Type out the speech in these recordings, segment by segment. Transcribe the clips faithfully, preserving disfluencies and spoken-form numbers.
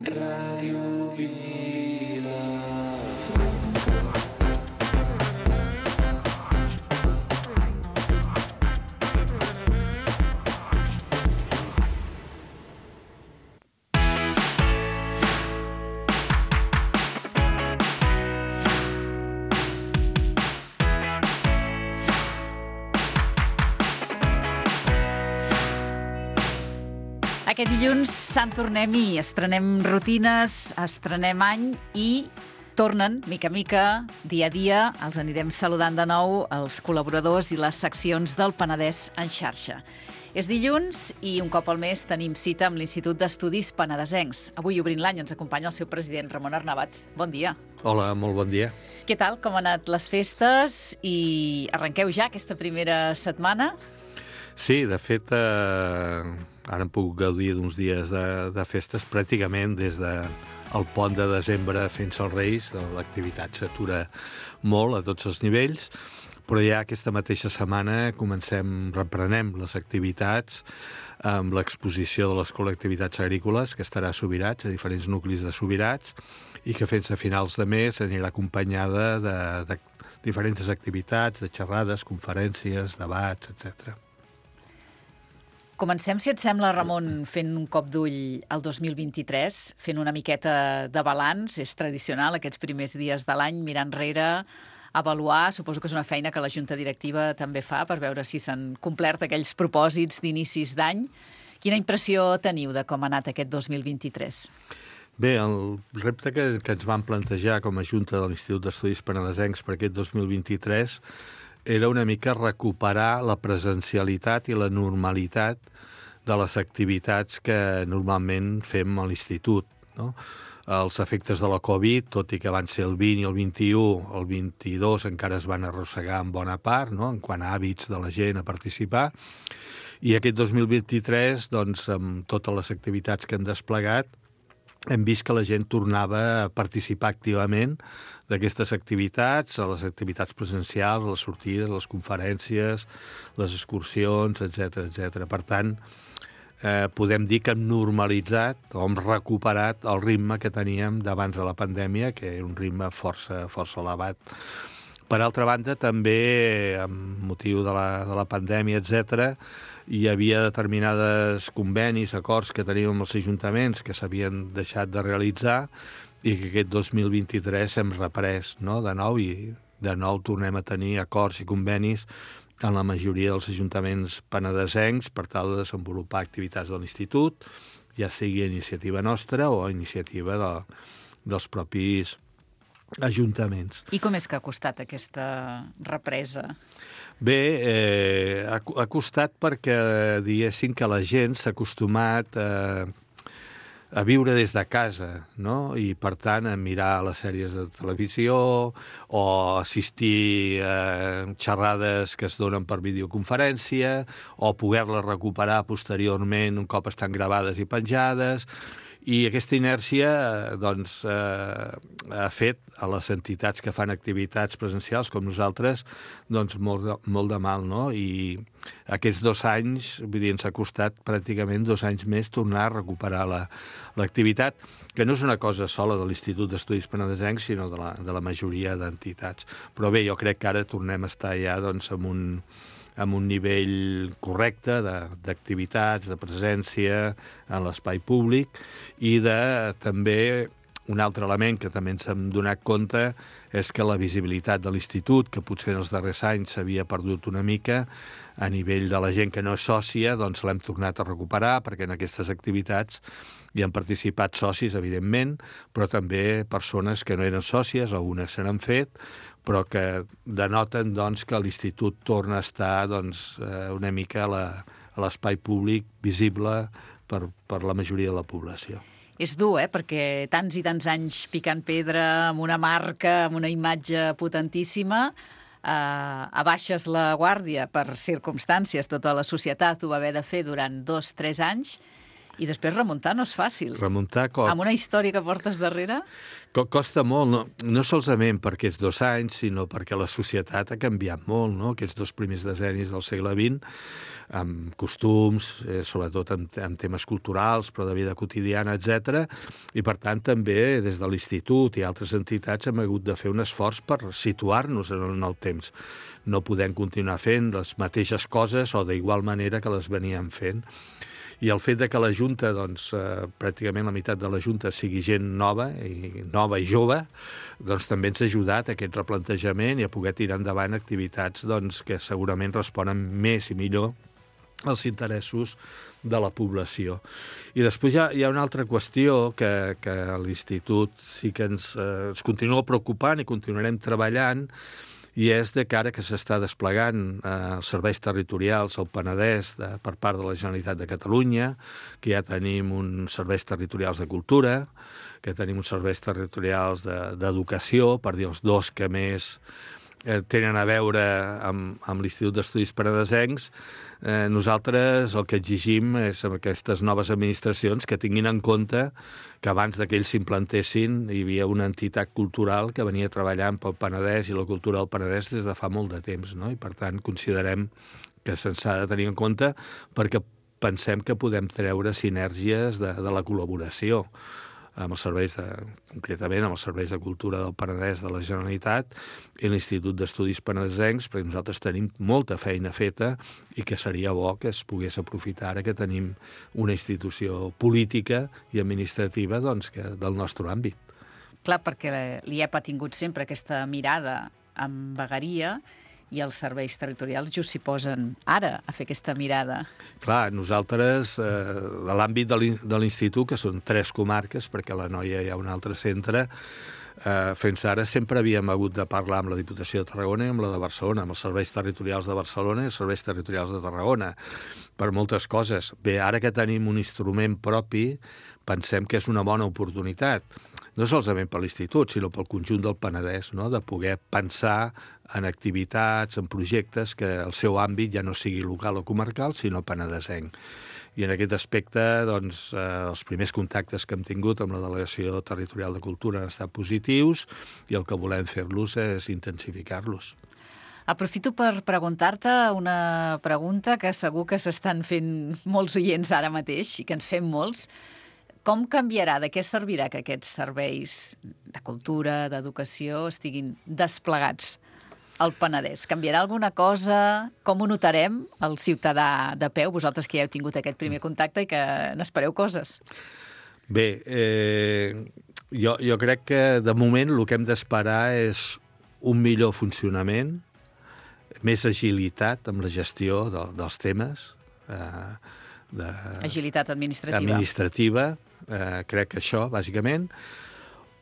Ràdio Vila. Aquest dilluns Sant Tornem-hi, estrenem rutines, estrenem any i tornen, mica a mica, dia a dia, els anirem saludant de nou els col·laboradors i les seccions del Penedès en xarxa. És dilluns i un cop al mes tenim cita amb l'Institut d'Estudis Penedesencs. Avui, obrint l'any, ens acompanya el seu president, Ramon Arnabat. Bon dia. Hola, molt bon dia. Què tal? Com han anat les festes? I arrenqueu ja aquesta primera setmana? Sí, de fet, eh, ara hem pogut gaudir d'uns dies de, de festes pràcticament des del de pont de desembre fins als Reis. L'activitat s'atura molt a tots els nivells, però ja aquesta mateixa setmana comencem, reprenem les activitats amb l'exposició de les col·lectivitats agrícoles, que estarà a Subirats, a diferents nuclis de Subirats, i que fins a finals de mes anirà acompanyada de, de diferents activitats, de xerrades, conferències, debats, etcètera. Comencem, si et sembla, Ramon, fent un cop d'ull al dos mil vint-i-tres, fent una miqueta de balanç. És tradicional aquests primers dies de l'any, mirar enrere, avaluar. Suposo que és una feina que la Junta Directiva també fa per veure si s'han complert aquells propòsits d'inicis d'any. Quina impressió teniu de com ha anat aquest dos mil vint-i-tres? Bé, el repte que, que ens vam plantejar com a Junta de l'Institut d'Estudis Penedesencs per aquest dos mil vint-i-tres era una mica recuperar la presencialitat i la normalitat de les activitats que normalment fem a l'institut, no? Els efectes de la Covid, tot i que van ser el vint i el vint-i-u, el vint-i-dos encara es van arrossegar en bona part, no?, en quant a hàbits de la gent a participar, i aquest dos mil vint-i-tres, doncs, amb totes les activitats que hem desplegat, hem vist que la gent tornava a participar activament d'aquestes activitats, a les activitats presencials, a les sortides, a les conferències, les excursions, etcètera, etcètera. Per tant, eh, podem dir que hem normalitzat o hem recuperat el ritme que teníem d'abans de la pandèmia, que era un ritme força, força elevat. Per altra banda, també, amb motiu de la, de la pandèmia, etcètera, hi havia determinades convenis, acords que teníem amb els ajuntaments que s'havien deixat de realitzar i que aquest dos mil vint-i-tres hem reprès, no?, de nou, i de nou tornem a tenir acords i convenis en la majoria dels ajuntaments penedesencs per tal de desenvolupar activitats de l'institut, ja sigui iniciativa nostra o iniciativa de, dels propis ajuntaments. I com és que ha costat aquesta represa? Bé, eh, ha, ha costat perquè, diguéssim, que la gent s'ha acostumat a, a viure des de casa, no?, i, per tant, a mirar les sèries de televisió o assistir a xerrades que es donen per videoconferència o poder-les recuperar posteriorment un cop estan gravades i penjades. I aquesta inèrcia, doncs, eh, ha fet a les entitats que fan activitats presencials com nosaltres, doncs, molt de, molt de mal, no? I aquests dos anys, vull dir, ens ha costat pràcticament dos anys més tornar a recuperar la, l'activitat, que no és una cosa sola de l'Institut d'Estudis Penedesencs, sinó de la, de la majoria d'entitats. Però bé, jo crec que ara tornem a estar ja, doncs, amb un... amb un nivell correcte d'activitats, de, de presència en l'espai públic i de també un altre element que també ens hem donat compte és que la visibilitat de l'institut, que potser en els darrers anys s'havia perdut una mica, a nivell de la gent que no és sòcia, doncs l'hem tornat a recuperar perquè en aquestes activitats hi han participat socis, evidentment, però també persones que no eren sòcies, algunes se n'han fet, però que denoten, doncs, que l'institut torna a estar, doncs, una mica a l'espai públic visible per, per la majoria de la població. És dur, eh?, perquè tants i tants anys picant pedra amb una marca, amb una imatge potentíssima, eh, abaixes la guàrdia per circumstàncies, tota la societat ho va haver de fer durant dos, tres anys, I després remuntar no és fàcil. Remuntar com... Amb una història que portes darrere... Co costa molt, no, no solament per aquests dos anys, sinó perquè la societat ha canviat molt, no? Aquests dos primers decennis del segle vint, amb costums, eh, sobretot en, en temes culturals, però de vida quotidiana, etcètera. I, per tant, també des de l'Institut i altres entitats hem hagut de fer un esforç per situar-nos en el temps. No podem continuar fent les mateixes coses o d'igual manera que les veníem fent. I el fet de que la Junta, doncs, eh, pràcticament la meitat de la Junta sigui gent nova i nova i jove, doncs també ens ha ajudat a aquest replantejament i a poder tirar endavant activitats doncs, que segurament responen més i millor als interessos de la població. I després hi ha, hi ha una altra qüestió que, que a l'Institut sí que ens, eh, ens continua preocupant i continuarem treballant, i és de cara que s'està desplegant eh, els serveis territorials al Penedès de, per part de la Generalitat de Catalunya, que ja tenim uns serveis territorials de cultura, que tenim uns serveis territorials d'educació, de, per dir els dos que més eh, tenen a veure amb, amb l'Institut d'Estudis Penedesencs. Eh, nosaltres el que exigim és amb aquestes noves administracions que tinguin en compte que abans que ells s'implantessin hi havia una entitat cultural que venia treballant pel Penedès i la cultura del Penedès des de fa molt de temps, no? I per tant considerem que se'ns ha de tenir en compte perquè pensem que podem treure sinergies de, de la col·laboració amb els serveis, de, concretament amb els serveis de cultura del Penedès de la Generalitat i l'Institut d'Estudis Penedesencs, perquè nosaltres tenim molta feina feta i que seria bo que es pogués aprofitar ara que tenim una institució política i administrativa doncs, que, del nostre àmbit. Clar, perquè l'I E P ha tingut sempre aquesta mirada amb vegueria i els serveis territorials just s'hi posen ara a fer aquesta mirada. Clar, nosaltres, eh, de l'àmbit de l'Institut, que són tres comarques, perquè a l'Anoia hi ha un altre centre, eh, fins ara sempre havíem hagut de parlar amb la Diputació de Tarragona i amb la de Barcelona, amb els serveis territorials de Barcelona i els serveis territorials de Tarragona, per moltes coses. Bé, ara que tenim un instrument propi, pensem que és una bona oportunitat, no solament per l'Institut, sinó pel conjunt del Penedès, no? De poder pensar en activitats, en projectes que el seu àmbit ja no sigui local o comarcal, sinó penedesenc. I en aquest aspecte, doncs, eh, els primers contactes que hem tingut amb la Delegació Territorial de Cultura han estat positius i el que volem fer-los és intensificar-los. Aprofito per preguntar-te una pregunta que segur que s'estan fent molts oients ara mateix i que ens fem molts. Com canviarà, de què servirà que aquests serveis de cultura, d'educació, estiguin desplegats al Penedès? Canviarà alguna cosa? Com ho notarem, el ciutadà de peu, vosaltres que ja heu tingut aquest primer contacte i que n'espereu coses? Bé, eh, jo, jo crec que de moment el que hem d'esperar és un millor funcionament, més agilitat amb la gestió de, dels temes, eh, de, agilitat administrativa. administrativa, eh, crec que això, bàsicament.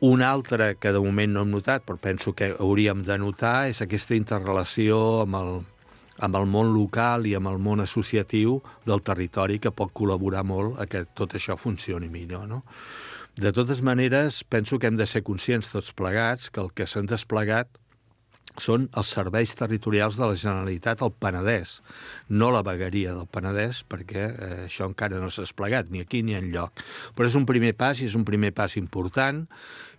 Un altre que de moment no hem notat, però penso que hauríem de notar, és aquesta interrelació amb el, amb el món local i amb el món associatiu del territori que pot col·laborar molt a que tot això funcioni millor, no? De totes maneres, penso que hem de ser conscients tots plegats que el que s'han desplegat són els serveis territorials de la Generalitat al Penedès, no la vegueria del Penedès, perquè eh, això encara no s'ha desplegat, ni aquí ni enlloc. Però és un primer pas, i és un primer pas important,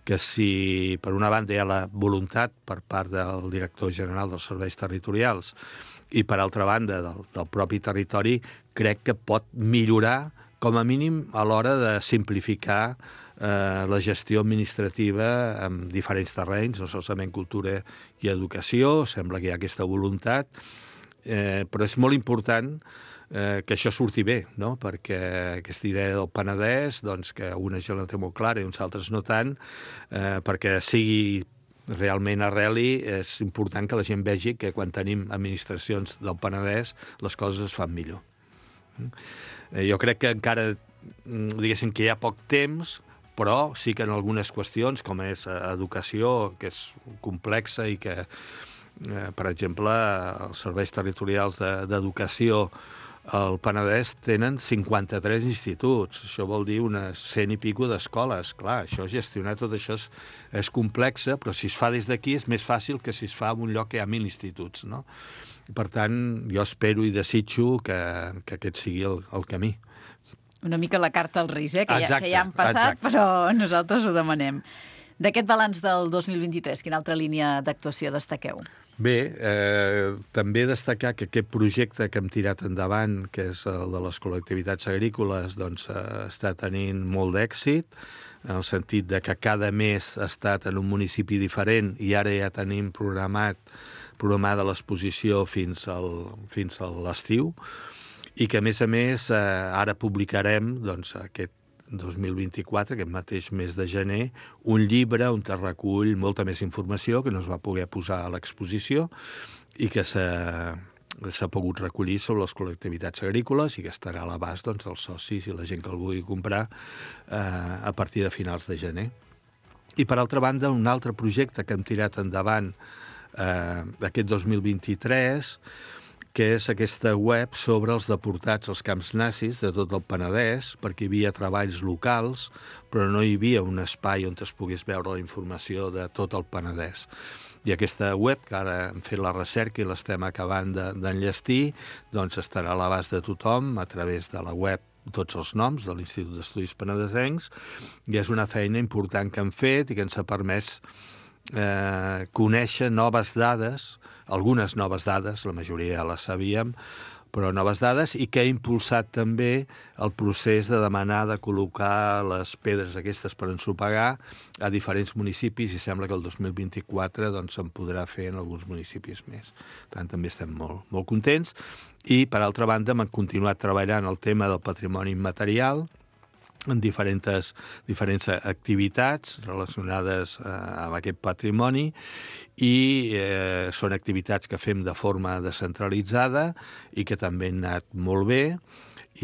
que si per una banda hi ha la voluntat per part del director general dels serveis territorials i per altra banda del, del propi territori, crec que pot millorar, com a mínim, a l'hora de simplificar eh, la gestió administrativa en diferents terrenys, no solament cultura i educació, sembla que hi ha aquesta voluntat, eh, però és molt important eh, que això surti bé, no? Perquè aquesta idea del Penedès, doncs, que una gent la té molt clara i uns altres no tant, eh, perquè sigui realment arreli, és important que la gent vegi que quan tenim administracions del Penedès les coses es fan millor. Eh, jo crec que encara, diguéssim que hi ha poc temps, però sí que en algunes qüestions, com és educació, que és complexa i que, eh, per exemple, els serveis territorials d'educació al Penedès tenen cinquanta-tres instituts. Això vol dir unes cent i pico d'escoles. Clar, això gestionar tot això és, és complexa, però si es fa des d'aquí és més fàcil que si es fa en un lloc que hi ha mil instituts, no? Per tant, jo espero i desitjo que, que aquest sigui el, el camí. Una mica la carta als Reis, eh? que, ja, Exacte, que ja han passat, exacte. però nosaltres ho demanem. D'aquest balanç del dos mil vint-i-tres, quina altra línia d'actuació destaqueu? Bé, eh, també destacar que aquest projecte que hem tirat endavant, que és el de les col·lectivitats agrícoles, doncs, eh, està tenint molt d'èxit, en el sentit de que cada mes ha estat en un municipi diferent i ara ja tenim programat programada l'exposició fins al, fins a l'estiu, i que, a més a més, eh, ara publicarem, doncs, aquest dos mil vint-i-quatre, aquest mateix mes de gener, un llibre on es recull molta més informació que no es va poder posar a l'exposició i que s'ha s'ha pogut recollir sobre les col·lectivitats agrícoles i que estarà a l'abast, doncs, dels socis i la gent que el vulgui comprar eh, a partir de finals de gener. I, per altra banda, un altre projecte que hem tirat endavant eh, aquest dos mil vint-i-tres, que és aquesta web sobre els deportats als camps nazis de tot el Penedès, perquè hi havia treballs locals, però no hi havia un espai on es pogués veure la informació de tot el Penedès. I aquesta web, que ara hem fet la recerca i l'estem acabant d'enllestir, doncs estarà a l'abast de tothom a través de la web tots els noms de l'Institut d'Estudis Penedesencs, i és una feina important que hem fet i que ens ha permès eh, conèixer noves dades, algunes noves dades, la majoria ja les sabíem, però noves dades, i que ha impulsat també el procés de demanar de col·locar les pedres aquestes per ensopegar a diferents municipis, i sembla que el dos mil vint-i-quatre doncs, se'n podrà fer en alguns municipis més. Per tant, també estem molt, molt contents. I, per altra banda, hem continuat treballant el tema del patrimoni immaterial, en diferents, diferents activitats relacionades eh, amb aquest patrimoni, i eh, són activitats que fem de forma descentralitzada i que també han anat molt bé,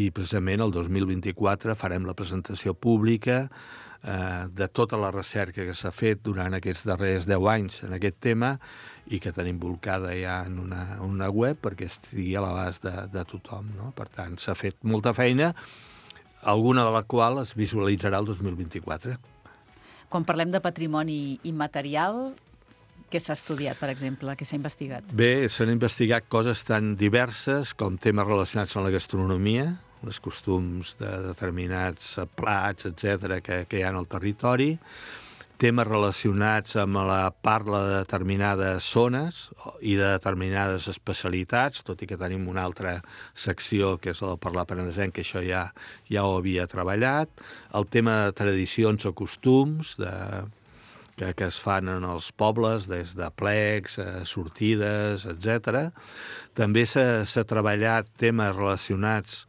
i precisament el dos mil vint-i-quatre farem la presentació pública eh, de tota la recerca que s'ha fet durant aquests darrers deu anys en aquest tema i que tenim volcada ja en una, una web perquè estigui a l'abast de, de tothom, no? Per tant, s'ha fet molta feina, alguna de la qual es visualitzarà el dos mil vint-i-quatre. Quan parlem de patrimoni immaterial, què s'ha estudiat, per exemple? Què s'ha investigat? Bé, s'han investigat coses tan diverses com temes relacionats amb la gastronomia, els costums de determinats plats, etcètera, que, que hi ha al territori, temes relacionats amb la parla de determinades zones i de determinades especialitats, tot i que tenim una altra secció, que és el de parlar penedesenc, que això ja, ja ho havia treballat, el tema de tradicions o costums, de, que, que es fan en els pobles, des de plecs, eh, sortides, etcètera. També s'ha treballat temes relacionats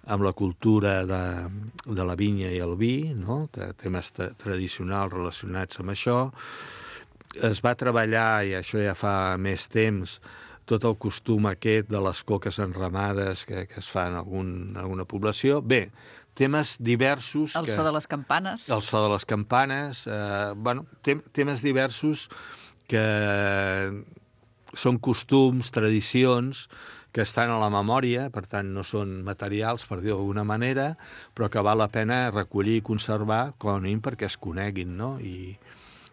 amb la cultura de, de la vinya i el vi, no? Temes tradicionals relacionats amb això. Es va treballar, i això ja fa més temps, tot el costum aquest de les coques enramades que, que es fan en algun, alguna població. Bé, temes diversos... El que, so de les campanes. El so de les campanes. Eh, bueno, tem, temes diversos que són costums, tradicions, que estan a la memòria, per tant no són materials, per dir-ho d'alguna manera, però que val la pena recollir i conservar, com a mínim perquè es coneguin, no? I,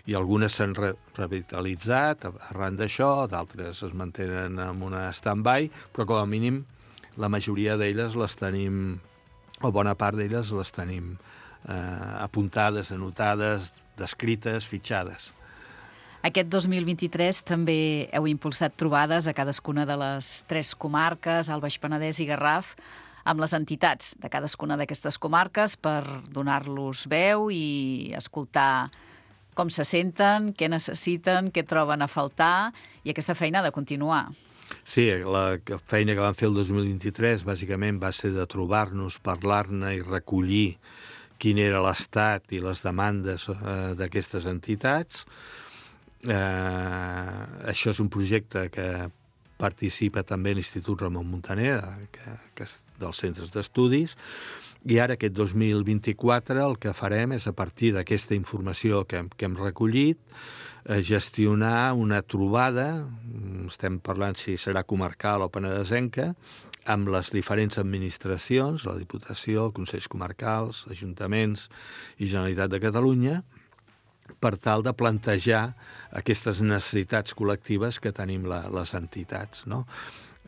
i algunes s'han re revitalitzat arran d'això, d'altres es mantenen en una stand-by, però com a mínim la majoria d'elles les tenim, o bona part d'elles les tenim eh, apuntades, anotades, descrites, fitxades. Aquest dos mil vint-i-tres també heu impulsat trobades a cadascuna de les tres comarques, el Baix Penedès i Garraf, amb les entitats de cadascuna d'aquestes comarques per donar-los veu i escoltar com se senten, què necessiten, què troben a faltar, i aquesta feina ha de continuar. Sí, la feina que vam fer el dos mil vint-i-tres bàsicament va ser de trobar-nos, parlar-ne i recollir quin era l'estat i les demandes eh, d'aquestes entitats. Eh, això és un projecte que participa també l'Institut Ramon Muntaner, que, que és dels centres d'estudis, i ara aquest dos mil vint-i-quatre el que farem és, a partir d'aquesta informació que, que hem recollit, eh, gestionar una trobada, estem parlant si serà comarcal o penedesenca, amb les diferents administracions, la Diputació, Consells Comarcals, Ajuntaments i Generalitat de Catalunya, per tal de plantejar aquestes necessitats col·lectives que tenim la, les entitats, no?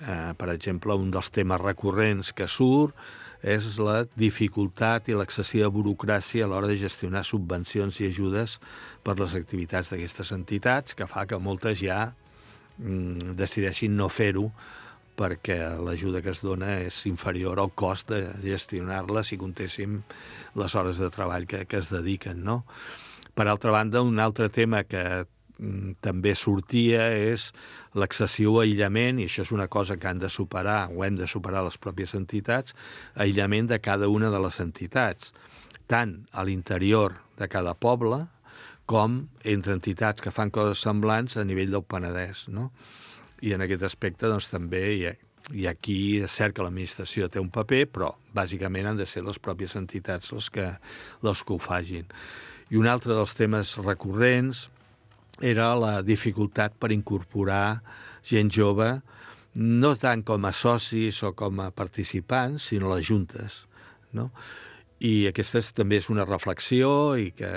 Eh, per exemple, un dels temes recurrents que surt és la dificultat i l'excessiva burocràcia a l'hora de gestionar subvencions i ajudes per les activitats d'aquestes entitats, que fa que moltes ja mm, decideixin no fer-ho perquè l'ajuda que es dona és inferior al cost de gestionar-la si comptéssim les hores de treball que, que es dediquen, no? Per altra banda, un altre tema que mm, també sortia és l'excessiu aïllament, i això és una cosa que han de superar, o hem de superar les pròpies entitats, aïllament de cada una de les entitats, tant a l'interior de cada poble com entre entitats que fan coses semblants a nivell del Penedès, no? I en aquest aspecte, doncs, també, i, i aquí és cert que l'administració té un paper, però bàsicament han de ser les pròpies entitats les que, les que ho fagin. I un altre dels temes recurrents era la dificultat per incorporar gent jove, no tant com a socis o com a participants, sinó a les juntes, no? I aquesta és, també és una reflexió i que,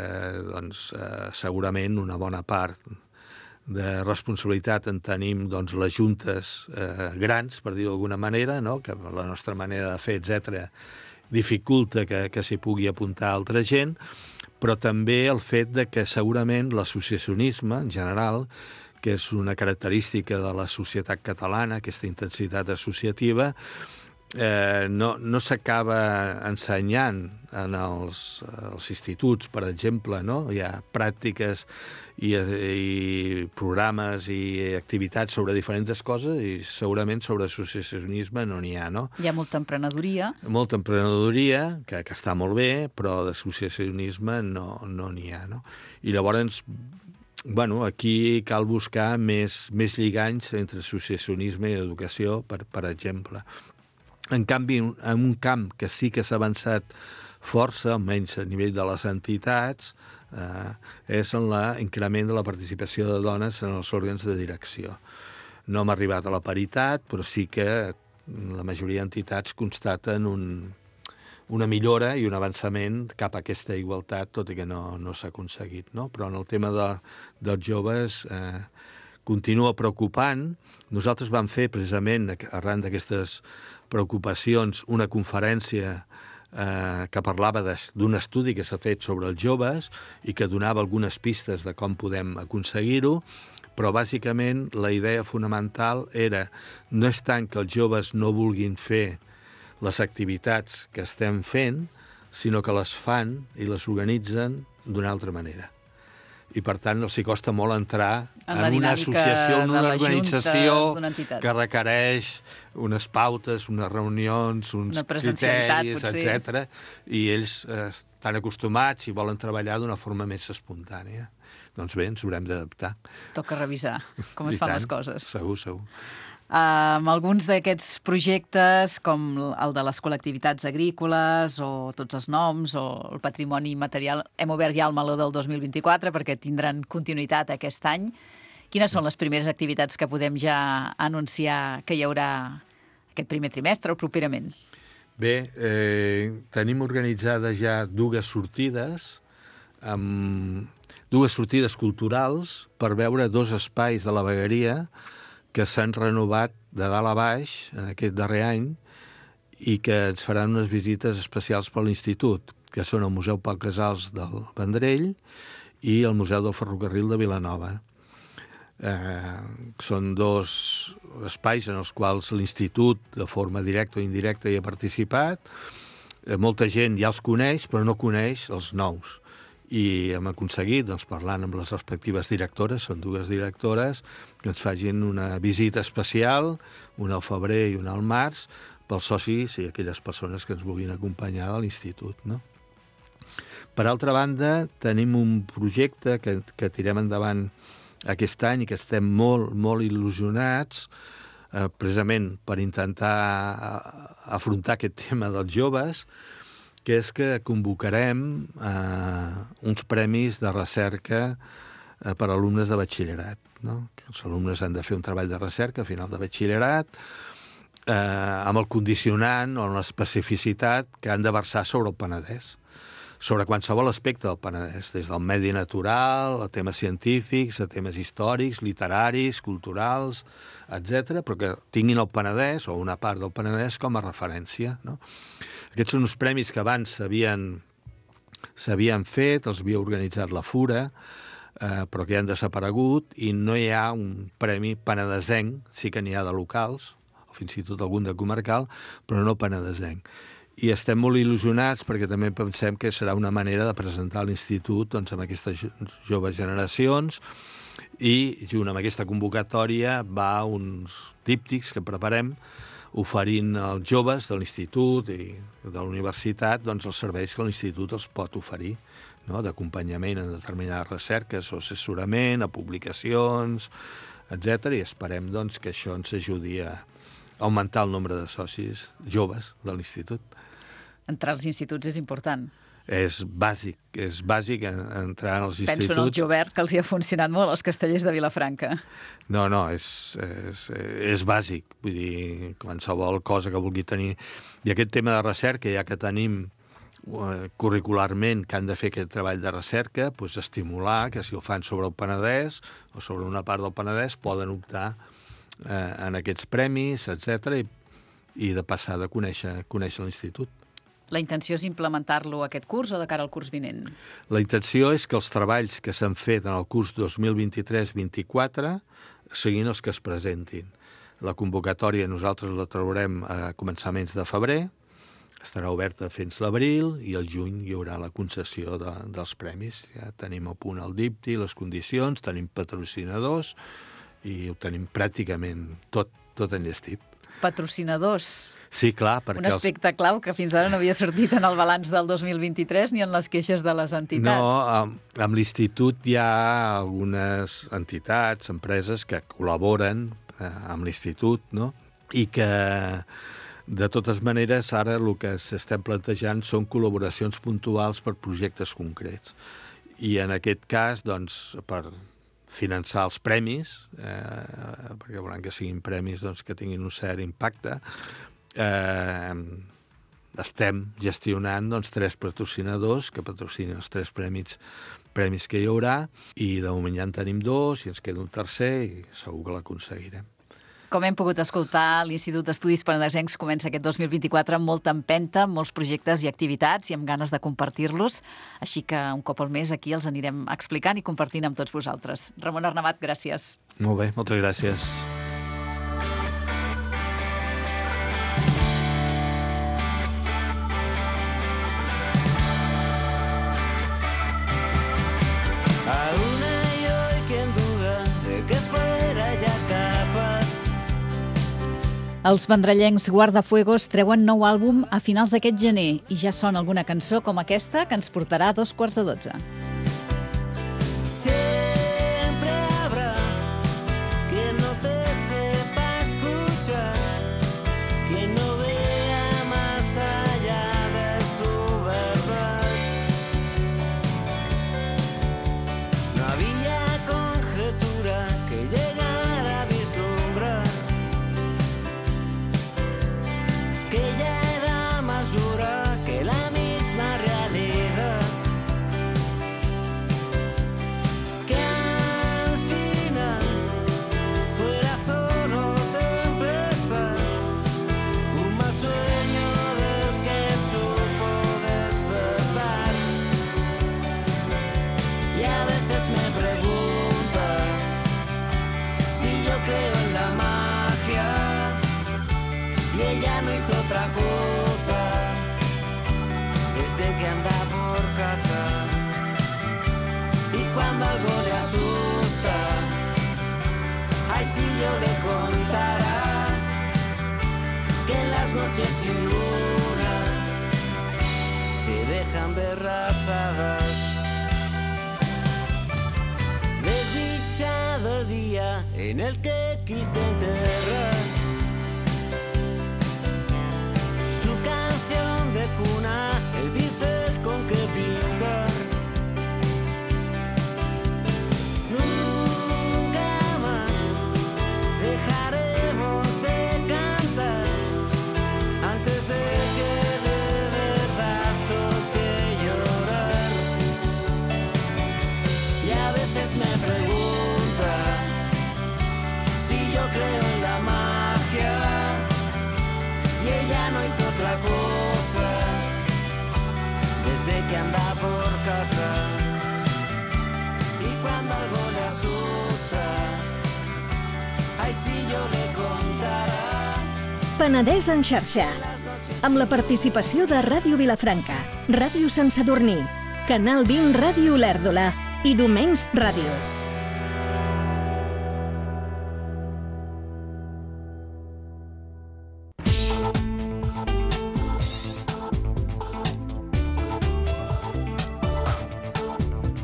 doncs, eh, segurament una bona part de responsabilitat en tenim, doncs, les juntes eh, grans, per dir-ho d'alguna manera, no? Que la nostra manera de fer, etcètera, dificulta que, que s'hi pugui apuntar altra gent, però també el fet de que segurament l'associacionisme, en general, que és una característica de la societat catalana, aquesta intensitat associativa, eh, no, no s'acaba ensenyant en els, els instituts, per exemple, no? Hi ha pràctiques i, i programes i activitats sobre diferents coses i segurament sobre associacionisme no n'hi ha, no? Hi ha molta emprenedoria. Molta emprenedoria, que, que està molt bé, però d'associacionisme no no n'hi ha, no? I llavors, bueno, aquí cal buscar més, més lliganys entre associacionisme i educació, per, per exemple. En canvi, en un camp que sí que s'ha avançat força, almenys a nivell de les entitats, eh, és en l'increment de la participació de dones en els òrgans de direcció. No hem arribat a la paritat, però sí que la majoria d'entitats constaten un, una millora i un avançament cap a aquesta igualtat, tot i que no, no s'ha aconseguit, no? Però en el tema de, dels joves eh, continua preocupant. Nosaltres vam fer, precisament, arran d'aquestes preocupacions, una conferència eh, que parlava d'un estudi que s'ha fet sobre els joves i que donava algunes pistes de com podem aconseguir-ho, però bàsicament la idea fonamental era no és tant que els joves no vulguin fer les activitats que estem fent, sinó que les fan i les organitzen d'una altra manera. I, per tant, els hi costa molt entrar en, en una associació, en una organització que requereix unes pautes, unes reunions, uns criteris, etcètera. I ells eh, estan acostumats i volen treballar d'una forma més espontània. Doncs bé, ens haurem d'adaptar. Toca revisar com es fan les coses. Segur, segur. Amb um, alguns d'aquests projectes, com el de les col·lectivitats agrícoles, o tots els noms, o el patrimoni material, hem obert ja el meló del dos mil vint-i-quatre perquè tindran continuïtat aquest any. Quines són les primeres activitats que podem ja anunciar que hi haurà aquest primer trimestre o properament? Bé, eh, tenim organitzades ja dues sortides, amb dues sortides culturals per veure dos espais de la vegueria que s'han renovat de dalt a baix en aquest darrer any i que ens faran unes visites especials per l'Institut, que són el Museu Pau Casals del Vendrell i el Museu del Ferrocarril de Vilanova. Eh, són dos espais en els quals l'Institut, de forma directa o indirecta, hi ha participat. Eh, molta gent ja els coneix, però no coneix els nous. I hem aconseguit, doncs, parlant amb les respectives directores, són dues directores, que ens facin una visita especial, una al febrer i una al març, pels socis i aquelles persones que ens vulguin acompanyar a l'Institut, no? Per altra banda, tenim un projecte que, que tirem endavant aquest any i que estem molt, molt il·lusionats, eh, precisament per intentar afrontar aquest tema dels joves, que és que convocarem eh, uns premis de recerca eh, per a alumnes de batxillerat, no? Que els alumnes han de fer un treball de recerca a final de batxillerat eh, amb el condicionant o l'especificitat que han de versar sobre el Penedès, sobre qualsevol aspecte del Penedès, des del medi natural, a temes científics, a temes històrics, literaris, culturals, etcètera, però que tinguin el Penedès o una part del Penedès com a referència, no? Aquests són uns premis que abans s'havien s'havien fet, els havia organitzat la Fura, eh, però que ja han desaparegut, i no hi ha un premi penedesenc, sí que n'hi ha de locals, o fins i tot algun de comarcal, però no penedesenc. I estem molt il·lusionats perquè també pensem que serà una manera de presentar l'institut doncs, amb aquestes joves generacions, i junt amb aquesta convocatòria va uns díptics que preparem oferint als joves de l'institut i de la universitat doncs, els serveis que l'institut els pot oferir, no? D'acompanyament en determinades recerques o assessorament, a publicacions, etcètera. I esperem doncs, que això ens ajudi a augmentar el nombre de socis joves de l'institut. Entrar als instituts és important. És bàsic, és bàsic entrar als instituts. Penso en el Jovert, que els hi ha funcionat molt als castellers de Vilafranca. No, no, és, és, és bàsic. Vull dir, qualsevol cosa que vulgui tenir. I aquest tema de recerca, ja que tenim uh, curricularment que han de fer aquest treball de recerca, doncs estimular que si ho fan sobre el Penedès o sobre una part del Penedès poden optar eh, en aquests premis, etcètera, i, i de passar de conèixer, conèixer l'institut. La intenció és implementar-lo aquest curs o de cara al curs vinent? La intenció és que els treballs que s'han fet en el curs dos mil vint-i-tres vint-i-quatre siguin els que es presentin. La convocatòria nosaltres la traurem a començaments de febrer, estarà oberta fins l'abril i al juny hi haurà la concessió de, dels premis. Ja tenim a punt el dipti, les condicions, tenim patrocinadors i ho tenim pràcticament tot, tot enllestit. Patrocinadors. Sí, clar, perquè... Un aspecte els... clau que fins ara no havia sortit en el balanç del dos mil vint-i-tres ni en les queixes de les entitats. No, amb, amb l'institut hi ha algunes entitats, empreses que col·laboren eh, amb l'institut, no? I que, de totes maneres, ara el que s'estem plantejant són col·laboracions puntuals per projectes concrets. I en aquest cas, doncs, per finançar els premis, eh, perquè volen que siguin premis doncs, que tinguin un cert impacte, eh, estem gestionant doncs, tres patrocinadors que patrocinen els tres premis, premis que hi haurà, i de moment ja en tenim dos, i ens queda un tercer, i segur que l'aconseguirem. Com hem pogut escoltar, l'Institut d'Estudis Penedesencs comença aquest dos mil vint-i-quatre amb molta empenta, amb molts projectes i activitats i amb ganes de compartir-los. Així que un cop al mes aquí els anirem explicant i compartint amb tots vosaltres. Ramon Arnabat, gràcies. Molt bé, moltes gràcies. Els vendrellencs Guardafuegos treuen nou àlbum a finals d'aquest gener i ja sona alguna cançó com aquesta que ens portarà a dos quarts de dotze. Siempre habrá quien no te sepa escuchar, quien no vea más allá de su verdad. No había conjetura que llegara a vislumbrar que ella era más dura que la misma realidad, que al final fuera solo tempestad, un mal sueño del que supo despertar. Y a veces me pregunta si yo creo en la magia, y ella no hizo otra cosa desde que anda por casa. Y cuando algo le asusta, ay, si yo le contara que en las noches sin luna se dejan ver rasadas. Desdichado el día en el que quise enterrar su canción de cuna, el pincel con que pintar. Nunca más dejaremos de cantar antes de que de verdad toque llorar. Y a veces me pregunta si yo creo en la magia, y ella no hizo otra cosa que anda por casa. Y cuando algo le asusta, ay, si yo le contara. Penedès en xarxa, amb la participació de Ràdio Vilafranca, Ràdio Sant Sadurní, Canal vint Ràdio Olèrdola i Domenys Ràdio.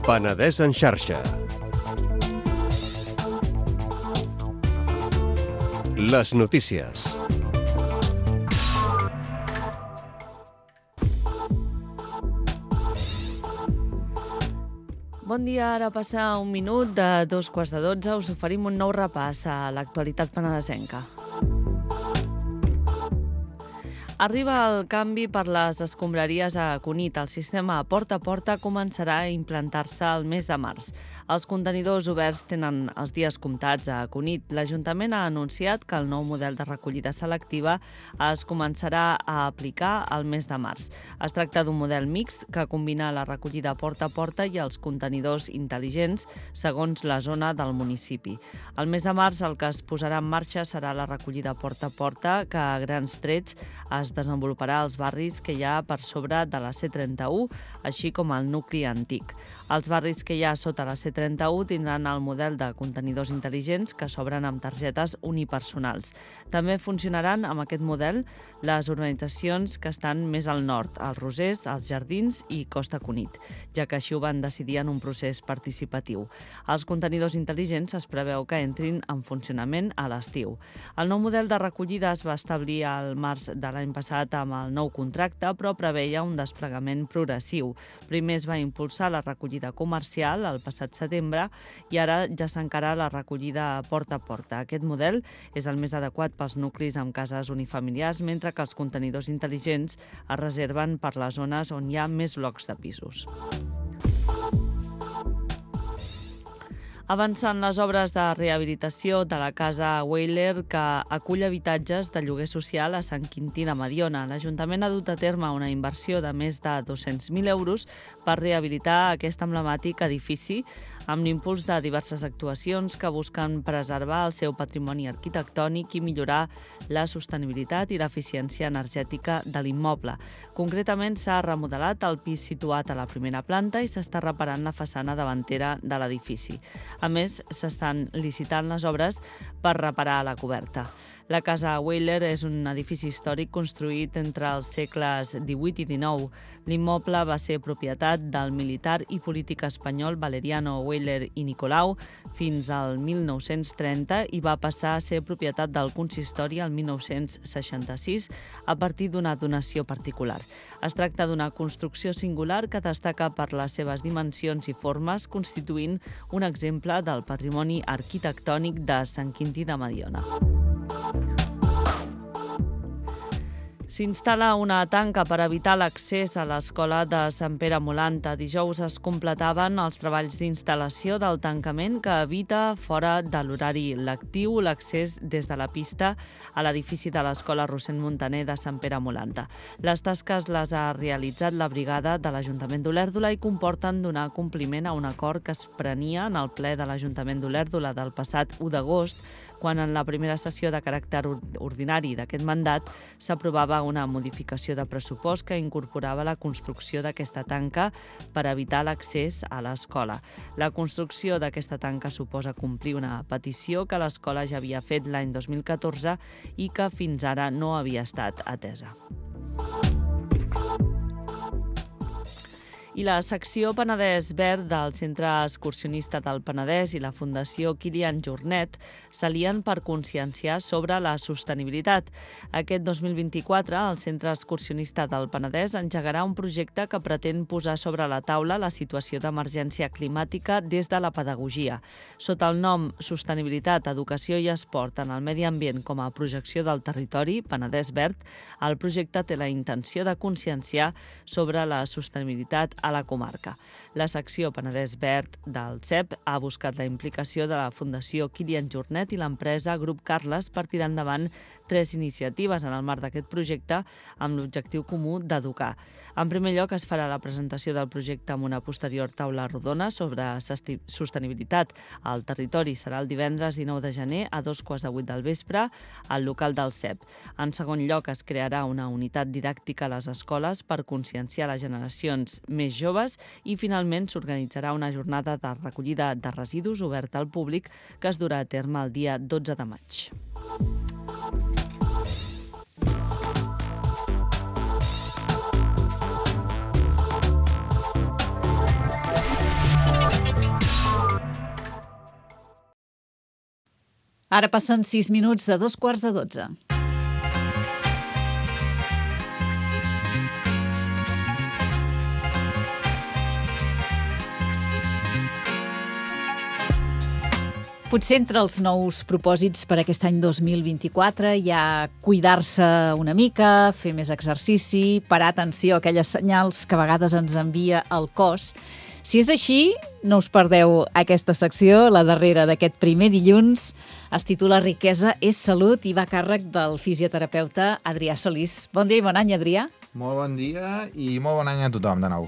Penedès en xarxa. Les notícies. Bon dia, ara passa un minut de dos quarts de dotze. Us oferim un nou repàs a l'actualitat penedesenca. Arriba el canvi per les escombraries a Cunit. El sistema porta a porta començarà a implantar-se el mes de març. Els contenidors oberts tenen els dies comptats a Cunit. L'Ajuntament ha anunciat que el nou model de recollida selectiva es començarà a aplicar el mes de març. Es tracta d'un model mixt que combina la recollida porta a porta i els contenidors intel·ligents segons la zona del municipi. El mes de març el que es posarà en marxa serà la recollida porta a porta, que a grans trets es desenvoluparà als barris que hi ha per sobre de la C trenta-u, així com el nucli antic. Els barris que hi ha sota la C trenta-u tindran el model de contenidors intel·ligents que s'obren amb targetes unipersonals. També funcionaran amb aquest model les urbanitzacions que estan més al nord, els Rosers, els Jardins i Costa Cunit, ja que així ho van decidir en un procés participatiu. Els contenidors intel·ligents es preveu que entrin en funcionament a l'estiu. El nou model de recollida es va establir al març de l'any passat amb el nou contracte, però preveia un desplegament progressiu. Primer es va impulsar la recollida comercial el passat setembre i ara ja s'encara la recollida porta a porta. Aquest model és el més adequat pels nuclis amb cases unifamiliars, mentre que els contenidors intel·ligents es reserven per les zones on hi ha més blocs de pisos. Avancen les obres de rehabilitació de la casa Weiler, que acull habitatges de lloguer social a Sant Quintí de Mediona. L'Ajuntament ha dut a terme una inversió de més de dos-cents mil euros per rehabilitar aquest emblemàtic edifici, amb l'impuls de diverses actuacions que busquen preservar el seu patrimoni arquitectònic i millorar la sostenibilitat i l'eficiència energètica de l'immoble. Concretament, s'ha remodelat el pis situat a la primera planta i s'està reparant la façana davantera de l'edifici. A més, s'estan licitant les obres per reparar la coberta. La casa Weiler és un edifici històric construït entre els segles divuit i dinou. L'immoble va ser propietat del militar i polític espanyol Valeriano Weiler i Nicolau fins al mil nou-cents trenta i va passar a ser propietat del consistori el mil nou-cents seixanta-sis a partir d'una donació particular. Es tracta d'una construcció singular que destaca per les seves dimensions i formes, constituint un exemple del patrimoni arquitectònic de Sant Quintí de Mediona. S'instal·la una tanca per evitar l'accés a l'escola de Sant Pere Molanta. Dijous es completaven els treballs d'instal·lació del tancament que evita, fora de l'horari lectiu, l'accés des de la pista a l'edifici de l'escola Rossend Montaner de Sant Pere Molanta. Les tasques les ha realitzat la brigada de l'Ajuntament d'Olèrdola i comporten donar compliment a un acord que es prenia en el ple de l'Ajuntament d'Olèrdola del passat u d'agost, quan en la primera sessió de caràcter ordinari d'aquest mandat s'aprovava una modificació de pressupost que incorporava la construcció d'aquesta tanca per evitar l'accés a l'escola. La construcció d'aquesta tanca suposa complir una petició que l'escola ja havia fet l'any dos mil catorze i que fins ara no havia estat atesa. I la secció Penedès Verd del Centre Excursionista del Penedès i la Fundació Kilian Jornet s'alien per conscienciar sobre la sostenibilitat. Aquest dos mil vint-i-quatre, el Centre Excursionista del Penedès engegarà un projecte que pretén posar sobre la taula la situació d'emergència climàtica des de la pedagogia. Sota el nom Sostenibilitat, Educació i Esport en el Medi Ambient com a projecció del territori, Penedès Verd, el projecte té la intenció de conscienciar sobre la sostenibilitat a la comarca. La secció Penedès Verd del C E P ha buscat la implicació de la Fundació Kilian Jornet i l'empresa Grup Carles per tirar endavant tres iniciatives en el marc d'aquest projecte amb l'objectiu comú d'educar. En primer lloc, es farà la presentació del projecte amb una posterior taula rodona sobre sostenibilitat al territori. Serà el divendres dinou de gener a dos quarts de vuit del vespre al local del C E P. En segon lloc, es crearà una unitat didàctica a les escoles per conscienciar les generacions més joves i, finalment, s'organitzarà una jornada de recollida de residus oberta al públic que es durà a terme el dia dotze de maig. Ara passen sis minuts de dos quarts de dotze. Potser entre els nous propòsits per aquest any dos mil vint-i-quatre hi ha cuidar-se una mica, fer més exercici, parar atenció a aquelles senyals que a vegades ens envia el cos. Si és així, no us perdeu aquesta secció, la darrera d'aquest primer dilluns. Es titula Riquesa és salut i va a càrrec del fisioterapeuta Adrià Solís. Bon dia i bon any, Adrià. Molt bon dia i molt bon any a tothom, de nou.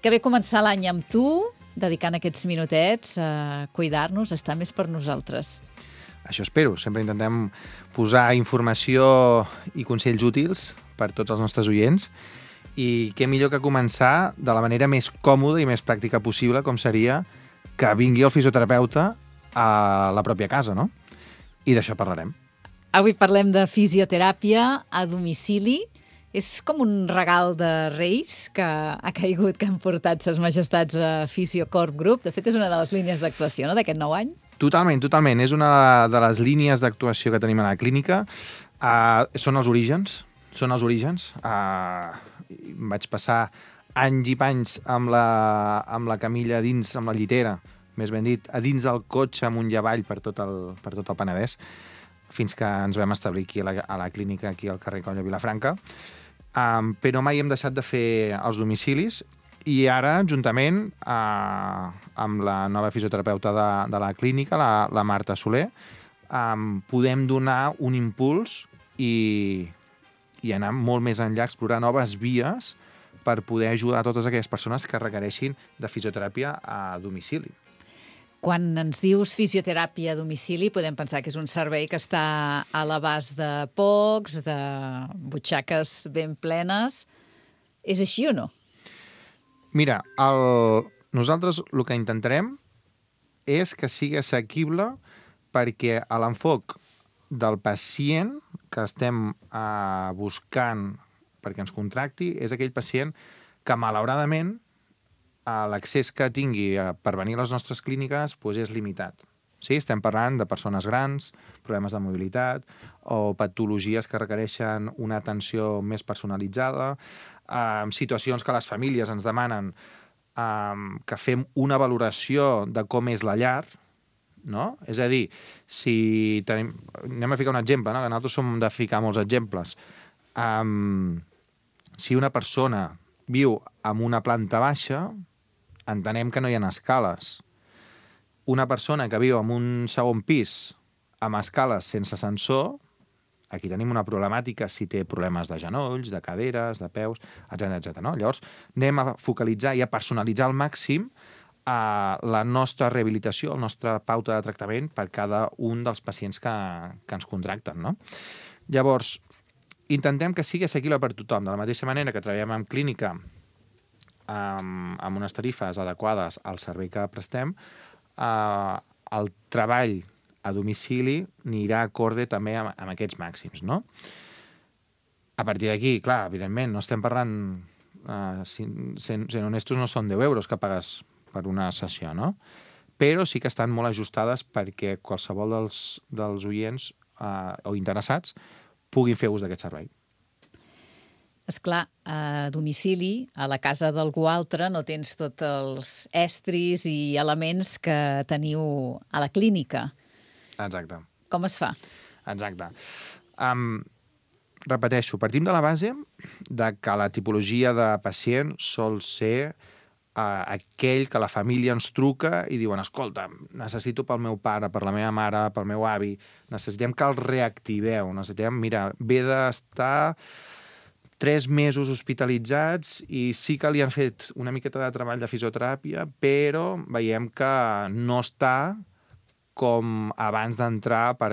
Que bé començar l'any amb tu, dedicant aquests minutets a cuidar-nos, a estar més per nosaltres. Això espero. Sempre intentem posar informació i consells útils per tots els nostres oients. I què millor que començar de la manera més còmoda i més pràctica possible, com seria que vingui el fisioterapeuta a la pròpia casa, no? I d'això parlarem. Avui parlem de fisioteràpia a domicili. És com un regal de Reis que ha caigut, que han portat ses majestats a Fisiocorp Group. De fet, és una de les línies d'actuació, no?, d'aquest nou any. Totalment, totalment. És una de les línies d'actuació que tenim a la clínica. Uh, són els orígens. Són els orígens. Uh, vaig passar anys i panys amb la, amb la camilla dins, amb la llitera, més ben dit, a dins del cotxe amunt i avall per tot el, per tot el Penedès, fins que ens vam establir aquí a la, a la clínica, aquí al carrer Coll de Vilafranca. Um, però mai hem deixat de fer els domicilis i ara, juntament uh, amb la nova fisioterapeuta de, de la clínica, la, la Marta Soler, um, podem donar un impuls i, i anar molt més enllà, explorar noves vies per poder ajudar a totes aquelles persones que requereixin de fisioteràpia a domicili. Quan ens dius fisioteràpia a domicili, podem pensar que és un servei que està a l'abast de pocs, de butxaques ben plenes. És així o no? Mira, el... nosaltres el que intentarem és que sigui assequible perquè a l'enfoc del pacient que estem uh, buscant perquè ens contracti és aquell pacient que, malauradament, l'accés que tingui per venir a les nostres clíniques doncs és limitat. Sí? Estem parlant de persones grans, problemes de mobilitat o patologies que requereixen una atenció més personalitzada, eh, situacions que les famílies ens demanen eh, que fem una valoració de com és la llar, no? És a dir, si tenim... anem a ficar un exemple, no? Que nosaltres som de ficar molts exemples. Um, si una persona viu en una planta baixa, entenem que no hi ha escales. Una persona que viu en un segon pis amb escales sense ascensor, aquí tenim una problemàtica si té problemes de genolls, de caderes, de peus, etcètera, etcètera. No? Llavors, anem a focalitzar i a personalitzar al màxim a la nostra rehabilitació, la nostra pauta de tractament per cada un dels pacients que, que ens contracten. No? Llavors, intentem que sigui assequible per tothom, de la mateixa manera que treballem en clínica amb, amb unes tarifes adequades al servei que prestem, eh, el treball a domicili anirà acorde també amb, amb aquests màxims, no? A partir d'aquí, clar, evidentment, no estem parlant, eh, sent, sent honestos, no són deu euros que pagues per una sessió, no? Però sí que estan molt ajustades perquè qualsevol dels, dels oients eh, o interessats puguin fer ús d'aquest servei. Esclar, a domicili, a la casa d'algú altre, no tens tots els estris i elements que teniu a la clínica. Exacte. Com es fa? Exacte. Um, repeteixo, partim de la base de que la tipologia de pacient sol ser aquell que la família ens truca i diuen, escolta, necessito pel meu pare, per la meva mare, pel meu avi, necessitem que el reactiveu, necessitem, mira, ve d'estar tres mesos hospitalitzats i sí que li han fet una miqueta de treball de fisioteràpia, però veiem que no està com abans d'entrar per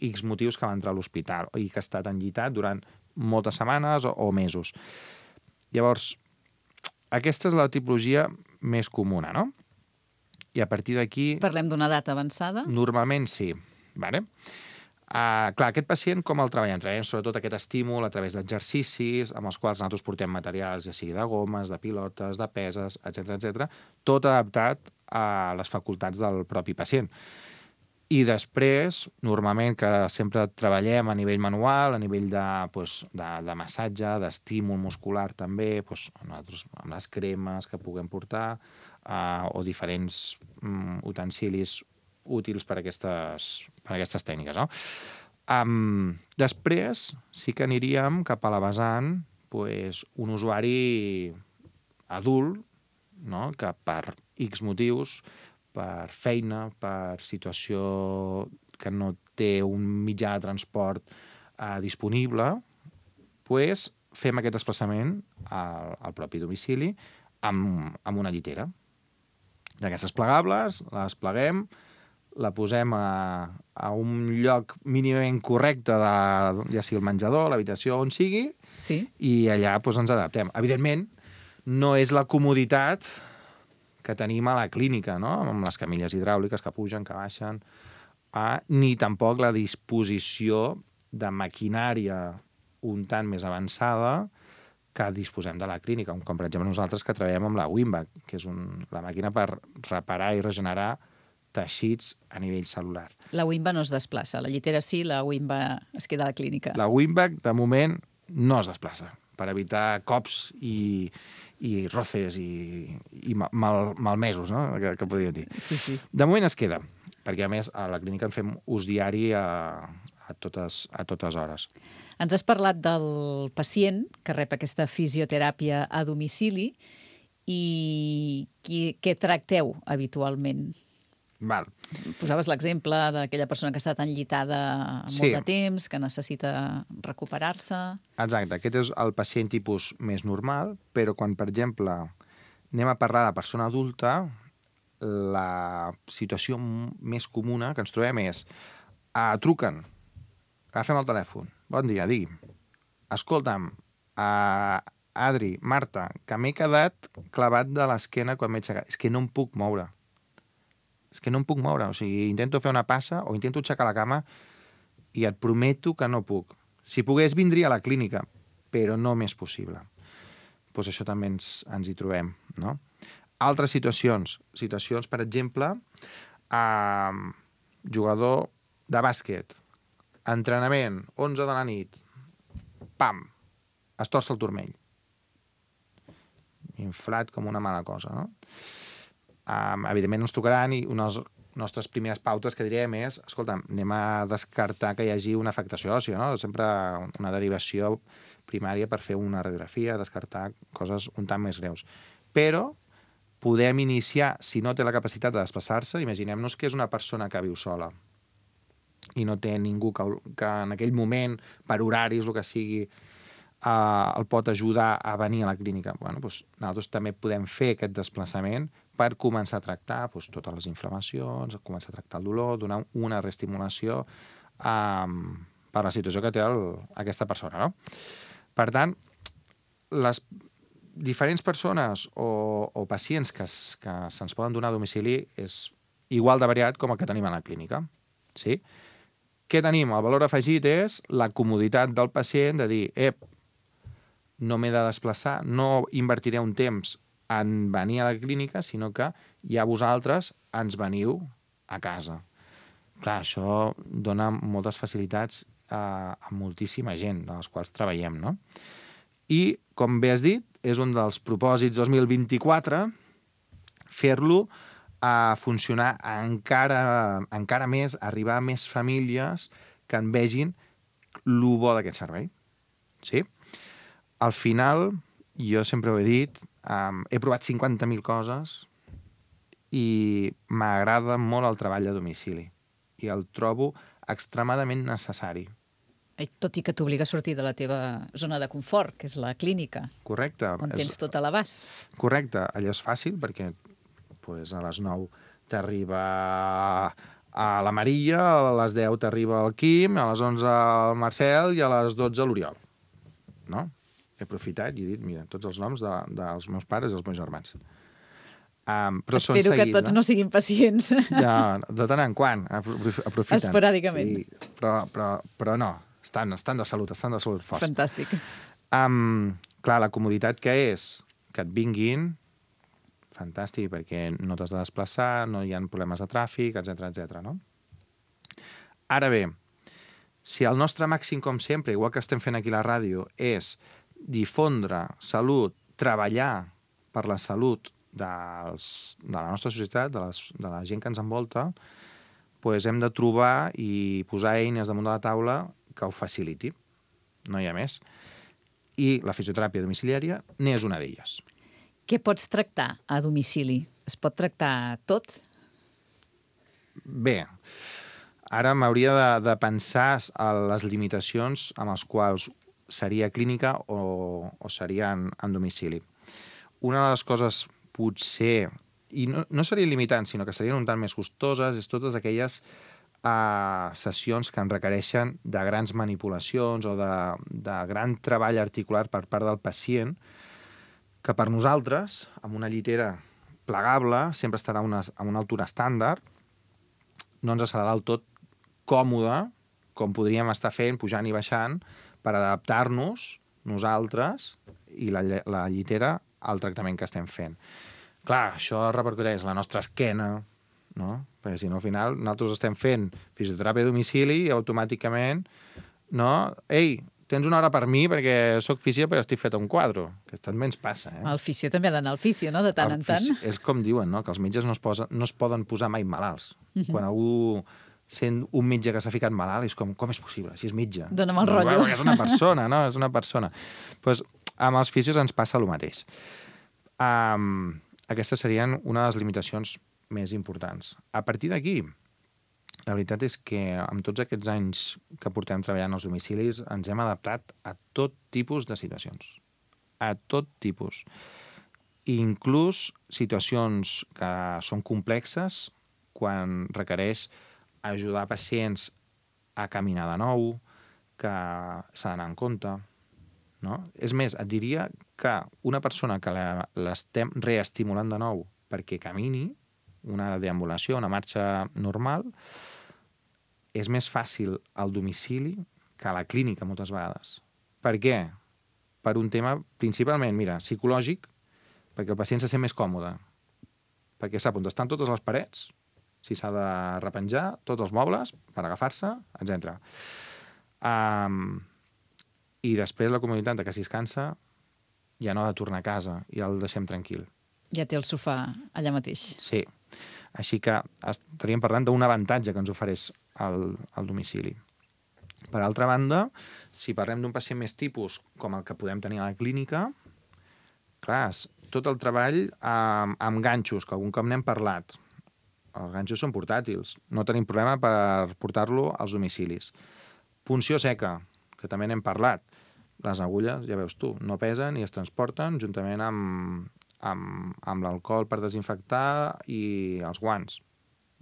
X motius que va entrar a l'hospital i que ha estat enllitat durant moltes setmanes o, o mesos. Llavors, aquesta és la tipologia més comuna, no? I a partir d'aquí... Parlem d'una data avançada? Normalment sí. Vale? Uh, clar, aquest pacient com el treballem? Treballem sobretot aquest estímul a través d'exercicis amb els quals nosaltres portem materials, ja sigui de gomes, de pilotes, de peses, etcètera, etcètera, tot adaptat a les facultats del propi pacient. I després, normalment, que sempre treballem a nivell manual, a nivell de, pues, de, de massatge, d'estímul muscular també, pues, nosaltres, amb les cremes que puguem portar, uh, o diferents um, utensilis útils per a aquestes, per a aquestes tècniques. No? Um, després, sí que aniríem cap a la vessant pues, un usuari adult, no? Que per X motius, per feina, per situació que no té un mitjà de transport eh, disponible, pues, fem aquest desplaçament al, al propi domicili amb, amb una llitera. D'aquestes plegables, les pleguem, la posem a, a un lloc mínimament correcte, de, ja sigui el menjador, l'habitació, on sigui, sí. I allà pues, ens adaptem. Evidentment, no és la comoditat que tenim a la clínica, no? Amb les camilles hidràuliques que pugen, que baixen, eh? Ni tampoc la disposició de maquinària un tant més avançada que disposem de la clínica, com per exemple nosaltres que treballem amb la Wimback, que és un, la màquina per reparar i regenerar teixits a nivell cel·lular. La Wimba no es desplaça, la llitera sí, la Wimba es queda a la clínica. La Wimback, de moment, no es desplaça, per evitar cops i, i roces i, i mal, malmesos, no? que, que podríem dir. Sí, sí. De moment es queda, perquè a més a la clínica en fem ús diari a, a, totes, a totes hores. Ens has parlat del pacient que rep aquesta fisioteràpia a domicili i qui, què tracteu habitualment? Val. Posaves l'exemple d'aquella persona que ha estat enllitada Sí. molt de temps, que necessita recuperar-se. Exacte, aquest és el pacient tipus més normal, però quan, per exemple, anem a parlar de persona adulta, la situació m- més comuna que ens trobem és uh, truquen, agafem el telèfon, bon dia, digui, escolta'm, uh, Adri, Marta, que m'he quedat clavat de l'esquena quan m'he aixecat, és que no em puc moure. És que no em puc moure, o sigui, intento fer una passa o intento aixecar la cama i et prometo que no puc. Si pogués, vindria a la clínica, però no m'és possible. Doncs això també ens, ens hi trobem, no? Altres situacions, situacions, per exemple, eh, jugador de bàsquet, entrenament, onze de la nit, pam, es torça el turmell. Inflat com una mala cosa, no? Um, evidentment ens tocaran i una de les nostres primeres pautes que direm és, escolta, anem a descartar que hi hagi una afectació òssia, no? Sempre una derivació primària per fer una radiografia, descartar coses un tant més greus. Però podem iniciar, si no té la capacitat de desplaçar-se, imaginem-nos que és una persona que viu sola i no té ningú que, que en aquell moment, per horaris, el que sigui, uh, el pot ajudar a venir a la clínica. Bueno, doncs nosaltres també podem fer aquest desplaçament per començar a tractar doncs, totes les inflamacions, començar a tractar el dolor, donar una reestimulació um, per la situació que té el, aquesta persona. No? Per tant, les diferents persones o, o pacients que, es, que se'ns poden donar a domicili és igual de variat com el que tenim a la clínica. Sí? Què tenim? El valor afegit és la comoditat del pacient de dir, ep, no m'he de desplaçar, no invertiré un temps en venir a la clínica, sinó que ja vosaltres ens veniu a casa. Clar, això dona moltes facilitats a, a moltíssima gent, de les quals treballem, no? I, com bé has dit, és un dels propòsits dos mil vint-i-quatre fer-lo a funcionar encara, encara més, arribar a més famílies que en vegin lo bo d'aquest servei. Sí? Al final, jo sempre ho he dit, Um, he provat cinquanta mil coses i m'agrada molt el treball a domicili i el trobo extremadament necessari. Eh, Tot i que t'obliga a sortir de la teva zona de confort, que és la clínica, Correcte. on tens És- tot a l'abast. Correcte, allò és fàcil perquè pues, a les nou t'arriba a la Maria, a les deu t'arriba el Quim, a les onze el Marcel i a les dotze l'Oriol. No? He aprofitat i he dit, mira, tots els noms de, dels meus pares i els meus germans. Um, però són Espero que seguits, tots no siguin pacients. De, de tant en quant, apro- aprofiten. Esporàdicament. Sí, però, però, però no, estan, estan de salut, estan de salut forts. Fantàstic. Um, clar, la comoditat que és que et vinguin, fantàstic, perquè no t'has de desplaçar, no hi ha problemes de tràfic, etcètera, etcètera, no? Ara bé, si el nostre màxim, com sempre, igual que estem fent aquí a la ràdio, és difondre salut, treballar per la salut dels, de la nostra societat, de, les, de la gent que ens envolta, doncs hem de trobar i posar eines damunt de la taula que ho faciliti. No hi ha més. I la fisioteràpia domiciliària n'és una d'elles. Què pots tractar a domicili? Es pot tractar tot? Bé, ara m'hauria de, de pensar a les limitacions amb les quals seria clínica o, o seria en, en domicili. Una de les coses potser, i no, no serien limitants, sinó que serien un tant més costoses, és totes aquelles uh, sessions que en requereixen de grans manipulacions o de, de gran treball articular per part del pacient, que per nosaltres, amb una llitera plegable, sempre estarà a una, a una altura estàndard, no ens serà del tot còmode, com podríem estar fent, pujant i baixant, per adaptar-nos nosaltres i la, la llitera al tractament que estem fent. Clar, això repercuteix la nostra esquena, no? Perquè si no, al final, nosaltres estem fent fisioteràpia a domicili i automàticament, no? Ei, tens una hora per mi perquè sóc fisio perquè estic fet a un quadre. Que també ens passa, eh? El fisio també ha d'anar al fisio, no?, de tant en tant. És com diuen, no?, que els metges no es, posa, no es poden posar mai malalts. Uh -huh. Quan algú sent un metge que s'ha ficat malalt, és com, com és possible? Si és metge. Dóna'm el no, rotllo. Perquè és una persona, no? És una persona. Pues, amb els fisios ens passa el mateix. Um, aquestes serien una de les limitacions més importants. A partir d'aquí, la veritat és que amb tots aquests anys que portem treballant als domicilis ens hem adaptat a tot tipus de situacions. A tot tipus. Inclús situacions que són complexes quan requereix ajudar pacients a caminar de nou, que s'ha d'anar en compte. No? És més, et diria que una persona que l'estem reestimulant de nou perquè camini, una deambulació, una marxa normal, és més fàcil al domicili que a la clínica moltes vegades. Per què? Per un tema principalment, mira, psicològic, perquè el pacient se sent més còmode, perquè sap on estan totes les parets, si s'ha de repenjar, tots els mobles per agafar-se, etcètera. Um, I després la comoditat de que si es cansa ja no ha de tornar a casa, ja el deixem tranquil. Ja té el sofà allà mateix. Sí. Així que estaríem parlant d'un avantatge que ens ofereix el, el domicili. Per altra banda, si parlem d'un pacient més tipus com el que podem tenir a la clínica, clar, tot el treball amb, amb ganxos, que algun cop n'hem parlat. Els ganxos són portàtils, no tenim problema per portar-lo als domicilis. Punció seca, que també n'hem parlat. Les agulles, ja veus tu, no pesen i es transporten juntament amb, amb, amb l'alcohol per desinfectar i els guants.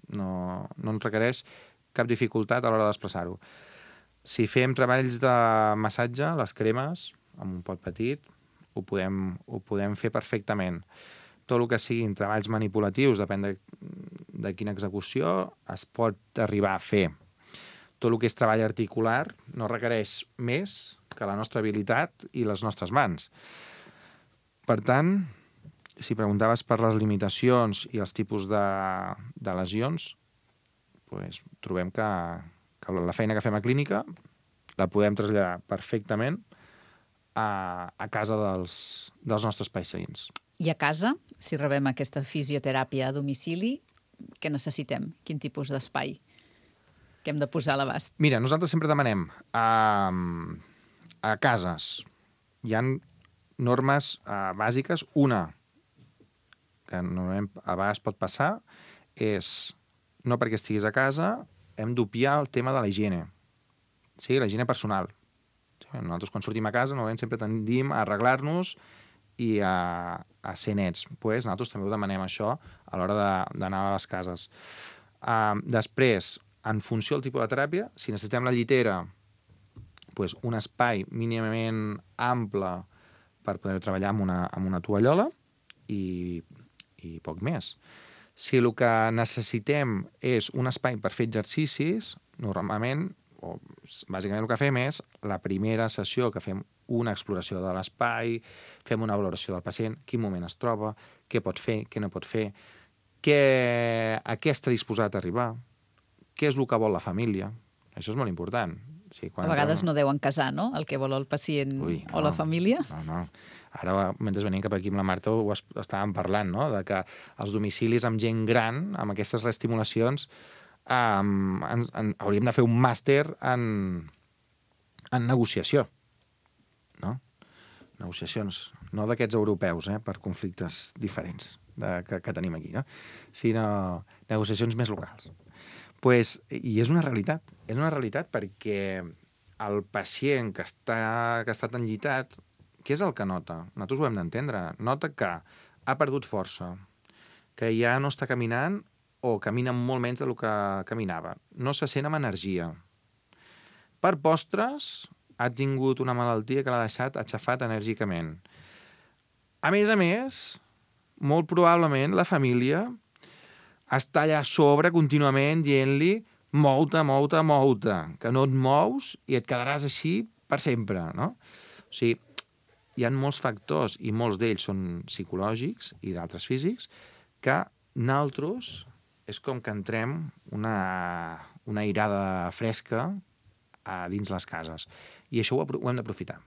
No, no ens requereix cap dificultat a l'hora de desplaçar-ho. Si fem treballs de massatge, les cremes, amb un pot petit, ho podem, ho podem fer perfectament. Tot el que siguin treballs manipulatius, depèn de, de quina execució, es pot arribar a fer. Tot el que és treball articular no requereix més que la nostra habilitat i les nostres mans. Per tant, si preguntaves per les limitacions i els tipus de, de lesions, pues, trobem que, que la feina que fem a clínica la podem traslladar perfectament a, a casa dels, dels nostres pacients. I a casa, si rebem aquesta fisioteràpia a domicili, què necessitem? Quin tipus d'espai que hem de posar a l'abast? Mira, nosaltres sempre demanem a, a cases. Hi ha normes uh, bàsiques. Una, que normalment a vegades pot passar, és no perquè estiguis a casa hem d'obviar el tema de la higiene. Sí, la higiene personal. Sí, nosaltres quan sortim a casa normalment sempre tendim a arreglar-nos i a, a ser nets. Pues, nosaltres també ho demanem això a l'hora d'anar a les cases. Uh, després, en funció del tipus de teràpia, si necessitem la llitera, pues, un espai mínimament ample per poder treballar amb una, amb una tovallola i, i poc més. Si el que necessitem és un espai per fer exercicis, normalment, o bàsicament el que fem és la primera sessió que fem una exploració de l'espai, fem una valoració del pacient, quin moment es troba, què pot fer, què no pot fer, què, a què està disposat a arribar, què és el que vol la família. Això és molt important. Sí, a vegades no deuen casar, no?, el que vol el pacient Ui, no, o la família. No, no. Ara, mentre venim cap aquí amb la Marta, ho estàvem parlant, no?, de que els domicilis amb gent gran, amb aquestes reestimulacions, um, en, en, hauríem de fer un màster en, en negociació. No? Negociacions, no d'aquests europeus, eh, per conflictes diferents de, que, que tenim aquí, no? Sinó negociacions més locals. Pues, i és una realitat, és una realitat perquè el pacient que està, que ha estat enllitat, què és el que nota? Nosaltres ho hem d'entendre. Nota que ha perdut força, que ja no està caminant o camina molt menys del que caminava. No se sent amb energia. Per postres, ha tingut una malaltia que l'ha deixat aixafat enèrgicament. A més a més, molt probablement la família està allà a sobre contínuament dient-li mou-te, mou-te, mou-te, que no et mous i et quedaràs així per sempre, no? O sigui, hi ha molts factors, i molts d'ells són psicològics i d'altres físics, que nosaltres és com que entrem una, una airada fresca a dins les cases. I això ho, ho hem d'aprofitar.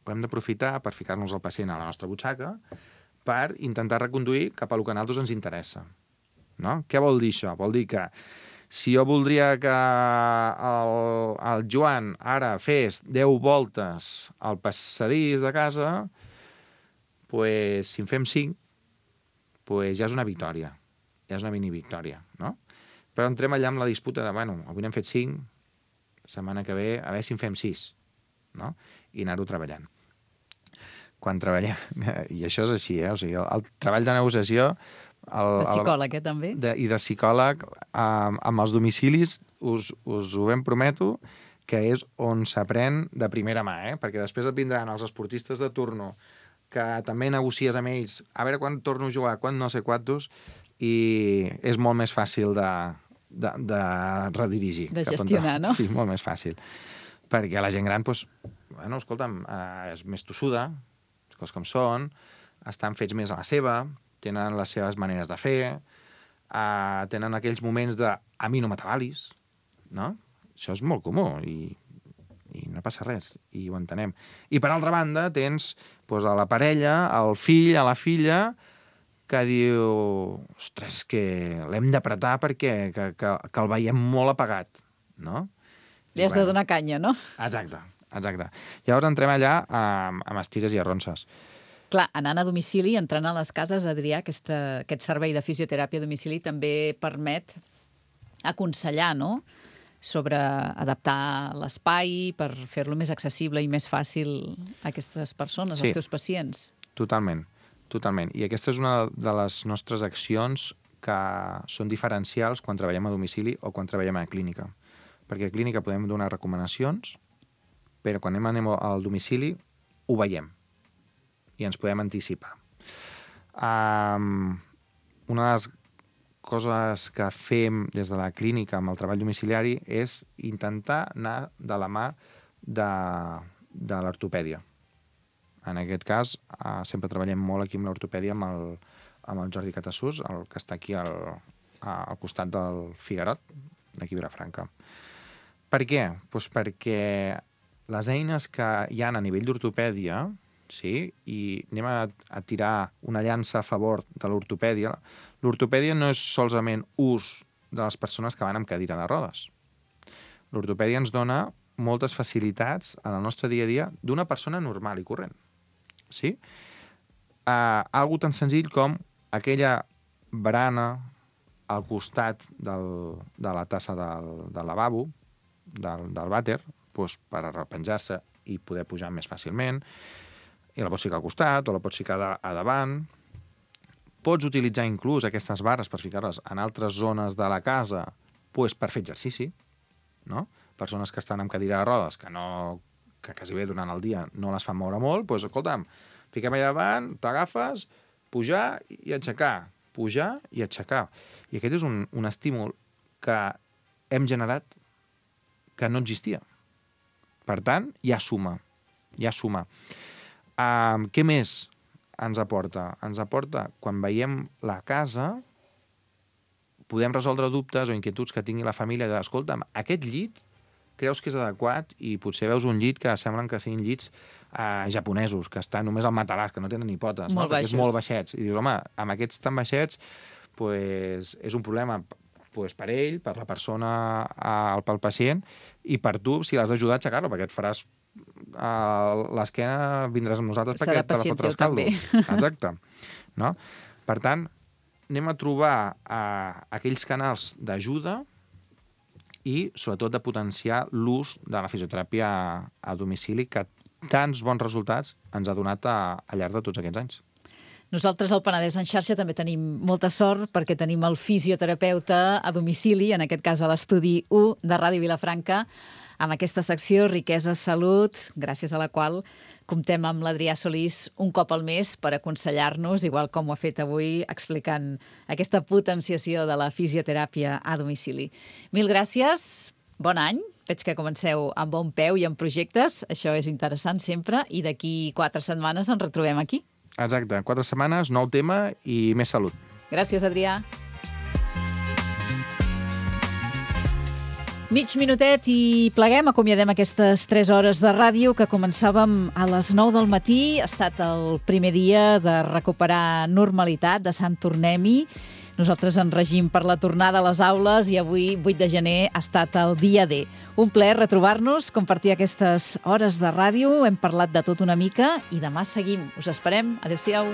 Ho hem d'aprofitar per ficar-nos el pacient a la nostra butxaca per intentar reconduir cap a lo que a nosaltres ens interessa. No? Què vol dir això? Vol dir que si jo voldria que el, el Joan ara fes deu voltes al passadís de casa, pues, si en fem cinc, pues, ja és una victòria. Ja és una mini victòria, no? Però entrem allà amb la disputa de, bueno, avui n'hem fet cinc, la setmana que ve, a veure si en fem sis, no? I anar-ho treballant. Quan treballem, i això és així, eh? O sigui, el, el treball de negociació... El, de psicòleg, eh, també? De, I de psicòleg, amb, amb els domicilis, us, us ho ben prometo, que és on s'aprèn de primera mà, eh? Perquè després et vindran els esportistes de turno, que també negocies amb ells, a veure quan torno a jugar, quan no sé quantos, i és molt més fàcil de, de, de redirigir. De gestionar, no? Sí, molt més fàcil. Perquè la gent gran, doncs, bueno, escolta'm, eh, és més tossuda, les coses com són, estan fets més a la seva, tenen les seves maneres de fer, uh, tenen aquells moments de a mi no m'atabalis, no? Això és molt comú i, i no passa res, i ho entenem. I per altra banda tens doncs, a la parella, al fill, a la filla, que diu, ostres, que l'hem d'apretar perquè que, que, que el veiem molt apagat, no? Li has bueno, de donar canya, no? Exacte, exacte. Llavors entrem allà amb, amb estires i arronses. Clar, anant a domicili, entrant a les cases, Adrià, aquesta, aquest servei de fisioteràpia a domicili també permet aconsellar, no?, sobre adaptar l'espai per fer-lo més accessible i més fàcil a aquestes persones, sí, als teus pacients. Totalment, totalment. I aquesta és una de les nostres accions que són diferencials quan treballem a domicili o quan treballem a clínica. Perquè a clínica podem donar recomanacions, però quan anem al domicili ho veiem i ens podem anticipar. Um, una de les coses que fem des de la clínica amb el treball domiciliari és intentar anar de la mà de, de l'ortopèdia. En aquest cas, uh, sempre treballem molt aquí amb l'ortopèdia amb el, amb el Jordi Catassús, el que està aquí al, al costat del Figuerot, d'aquí a Vilafranca. Per què? Pues perquè les eines que hi ha a nivell d'ortopèdia, sí, i anem a, a tirar una llança a favor de l'ortopèdia. L'ortopèdia no és solament ús de les persones que van amb cadira de rodes. L'ortopèdia ens dona moltes facilitats en el nostre dia a dia d'una persona normal i corrent. sí? Uh, algo tan senzill com aquella barana al costat del, de la tassa del, del lavabo, del, del vàter, doncs per arrepenjar-se i poder pujar més fàcilment, i la pots ficar al costat o la pots ficar a, a davant. Pots utilitzar inclús aquestes barres per ficar-les en altres zones de la casa doncs per fer exercici, no? Persones que estan amb cadira de rodes, que, no, que quasi bé durant el dia no les fan moure molt, doncs, escolta'm, fiquem allà davant, t'agafes, pujar i aixecar, pujar i aixecar. I aquest és un, un estímul que hem generat que no existia. Per tant, ja suma, ja suma. Um, què més ens aporta? Ens aporta, quan veiem la casa, podem resoldre dubtes o inquietuds que tingui la família de, escolta'm, aquest llit creus que és adequat i potser veus un llit que semblen que siguin llits eh, japonesos, que estan només al matalàs, que no tenen ni potes, molt no? Perquè és baixos. molt baixets. I dius, home, amb aquests tan baixets pues, és un problema pues, per ell, per la persona, eh, pel pacient, i per tu, si l'has d'ajudar a aixecar-lo, perquè et faràs eh, l'esquena, vindràs amb nosaltres Serà perquè te la pacient fotràs teu, caldo. també. Exacte. No? Per tant, anem a trobar eh, aquells canals d'ajuda i, sobretot, de potenciar l'ús de la fisioteràpia a domicili que tants bons resultats ens ha donat a, al llarg de tots aquests anys. Nosaltres al Penedès en xarxa també tenim molta sort perquè tenim el fisioterapeuta a domicili, en aquest cas a l'estudi u de Ràdio Vilafranca, amb aquesta secció Riquesa Salut, gràcies a la qual comptem amb l'Adrià Solís un cop al mes per aconsellar-nos, igual com ho ha fet avui, explicant aquesta potenciació de la fisioteràpia a domicili. Mil gràcies, bon any. Veig que comenceu amb bon peu i amb projectes. Això és interessant sempre. I d'aquí quatre setmanes ens retrobem aquí. Exacte. Quatre setmanes, nou tema i més salut. Gràcies, Adrià. Mig minutet i pleguem, acomiadem aquestes tres hores de ràdio que començàvem a les nou del matí. Ha estat el primer dia de recuperar normalitat, de Sant Tornem-hi. Nosaltres en regim per la tornada a les aules i avui, vuit de gener, ha estat el dia D. Un plaer retrobar-nos, compartir aquestes hores de ràdio. Hem parlat de tot una mica i demà seguim. Us esperem. Adéu-siau.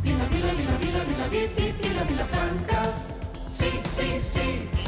Vila, Vila, Vila, Vila, Vila, Vila, Vila, Vila Franca. Sí, sí, sí.